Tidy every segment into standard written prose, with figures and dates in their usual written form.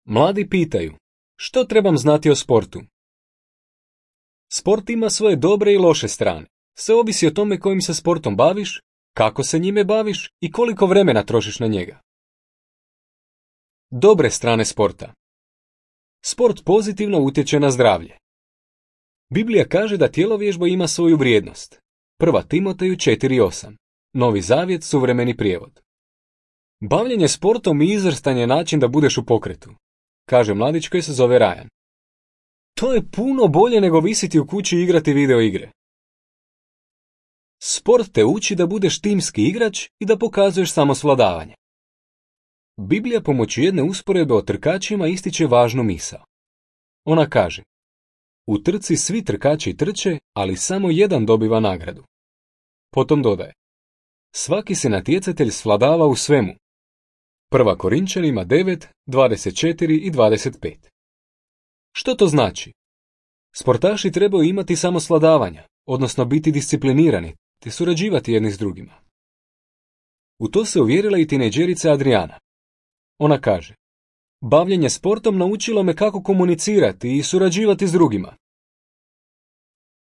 Mladi pitaju, što trebam znati o sportu? Sport ima svoje dobre i loše strane. Sve ovisi o tome kojim se sportom baviš, kako se njime baviš i koliko vremena trošiš na njega. Dobre strane sporta. Sport pozitivno utječe na zdravlje. Biblija kaže da tjelovježba ima svoju vrijednost. 1. Timoteju 4.8. Novi Zavjet, suvremeni prijevod. Bavljenje sportom i izvrstan je način da budeš u pokretu, kaže mladić koji se zove Ryan. To je puno bolje nego visiti u kući i igrati video igre. Sport te uči da budeš timski igrač i da pokazuješ samosvladavanje. Biblija pomoću jedne usporedbe o trkačima ističe važnu misao. Ona kaže: u trci svi trkači trče, ali samo jedan dobiva nagradu. Potom dodaje: svaki se natjecatelj svladava u svemu. 1. Korinčanima 9, 24 i 25. Što to znači? Sportaši trebaju imati samosvladavanja, odnosno biti disciplinirani, te surađivati jedni s drugima. U to se uvjerila i tinejdžerica Adriana. Ona kaže: bavljenje sportom naučilo me kako komunicirati i surađivati s drugima.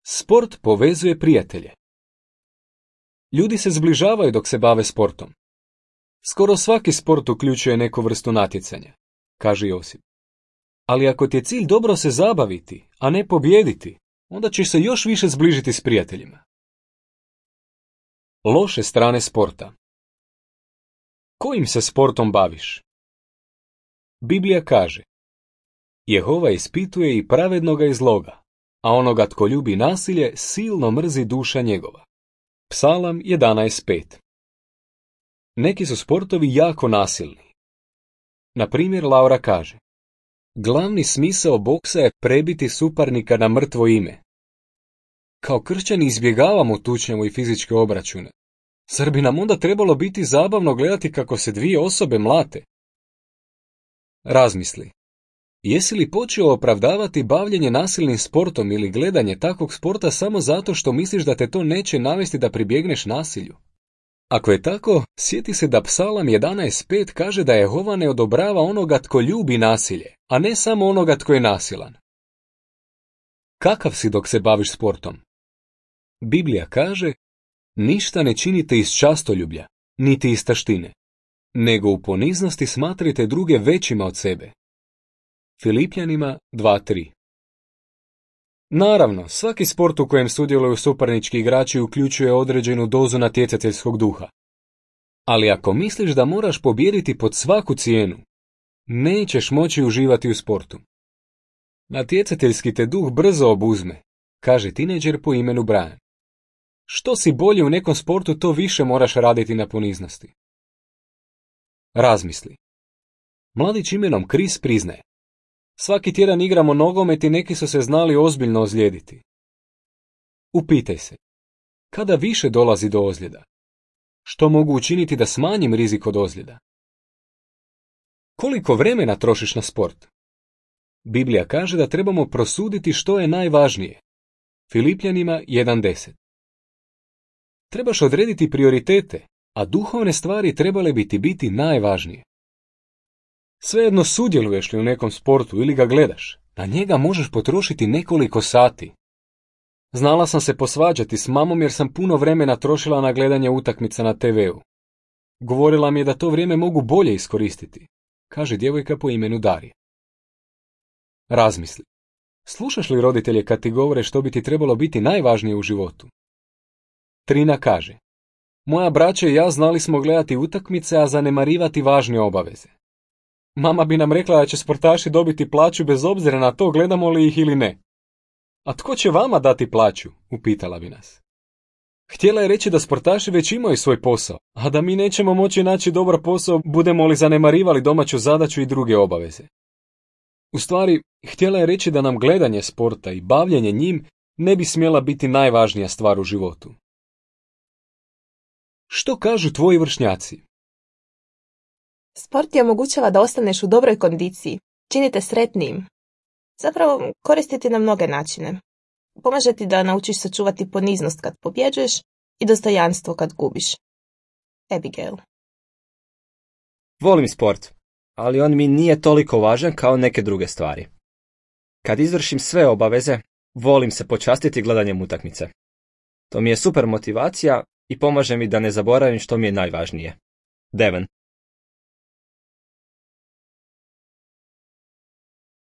Sport povezuje prijatelje. Ljudi se zbližavaju dok se bave sportom. Skoro svaki sport uključuje neku vrstu natjecanja, kaže Josip. Ali ako ti je cilj dobro se zabaviti, a ne pobijediti, onda ćeš se još više zbližiti s prijateljima. Loše strane sporta. Kojim se sportom baviš? Biblija kaže: Jehova ispituje i pravednoga i zloga, a onoga tko ljubi nasilje silno mrzi duša njegova. Psalam 11.5. Neki su sportovi jako nasilni. Na primjer, Laura kaže: glavni smisao boksa je prebiti suparnika na mrtvo ime. Kao kršćani izbjegavamo tučnjavu i fizičke obračune. Zar bi nam onda trebalo biti zabavno gledati kako se dvije osobe mlate? Razmisli. Jesi li počeo opravdavati bavljenje nasilnim sportom ili gledanje takvog sporta samo zato što misliš da te to neće navesti da pribjegneš nasilju? Ako je tako, sjeti se da Psalam 11.5 kaže da Jehova ne odobrava onoga tko ljubi nasilje, a ne samo onoga tko je nasilan. Kakav si dok se baviš sportom? Biblija kaže: ništa ne činite iz častoljublja, niti iz taštine, nego u poniznosti smatrajte druge većima od sebe. Filipljanima 2.3. Naravno, svaki sport u kojem sudjeluju suparnički igrači uključuje određenu dozu natjecateljskog duha. Ali ako misliš da moraš pobijediti pod svaku cijenu, nećeš moći uživati u sportu. Natjecateljski te duh brzo obuzme, kaže tinejdžer po imenu Brian. Što si bolji u nekom sportu, to više moraš raditi na poniznosti. Razmisli. Mladić imenom Chris priznaje: svaki tjedan igramo nogomet i neki su se znali ozbiljno ozlijediti. Upitaj se, kada više dolazi do ozljeda? Što mogu učiniti da smanjim rizik od ozljeda? Koliko vremena trošiš na sport? Biblija kaže da trebamo prosuditi što je najvažnije. Filipljanima 1.10. Trebaš odrediti prioritete, a duhovne stvari trebale biti najvažnije. Svejedno sudjeluješ li u nekom sportu ili ga gledaš, na njega možeš potrošiti nekoliko sati. Znala sam se posvađati s mamom jer sam puno vremena trošila na gledanje utakmica na TV-u. Govorila mi je da to vrijeme mogu bolje iskoristiti, kaže djevojka po imenu Darija. Razmisli. Slušaš li roditelje kad ti govore što bi ti trebalo biti najvažnije u životu? Trina kaže: moja braća i ja znali smo gledati utakmice, a zanemarivati važne obaveze. Mama bi nam rekla da će sportaši dobiti plaću bez obzira na to gledamo li ih ili ne. A tko će vama dati plaću? Upitala bi nas. Htjela je reći da sportaši već imaju svoj posao, a da mi nećemo moći naći dobar posao budemo li zanemarivali domaću zadaću i druge obaveze. U stvari, htjela je reći da nam gledanje sporta i bavljenje njim ne bi smjela biti najvažnija stvar u životu. Što kažu tvoji vršnjaci? Sport ti omogućava da ostaneš u dobroj kondiciji, čini te sretnijim. Zapravo, koristiti na mnoge načine. Pomaže ti da naučiš sačuvati poniznost kad pobjeđuješ i dostojanstvo kad gubiš. Abigail. Volim sport, ali on mi nije toliko važan kao neke druge stvari. Kad izvršim sve obaveze, volim se počastiti gledanjem utakmice. To mi je super motivacija i pomaže mi da ne zaboravim što mi je najvažnije. Devon.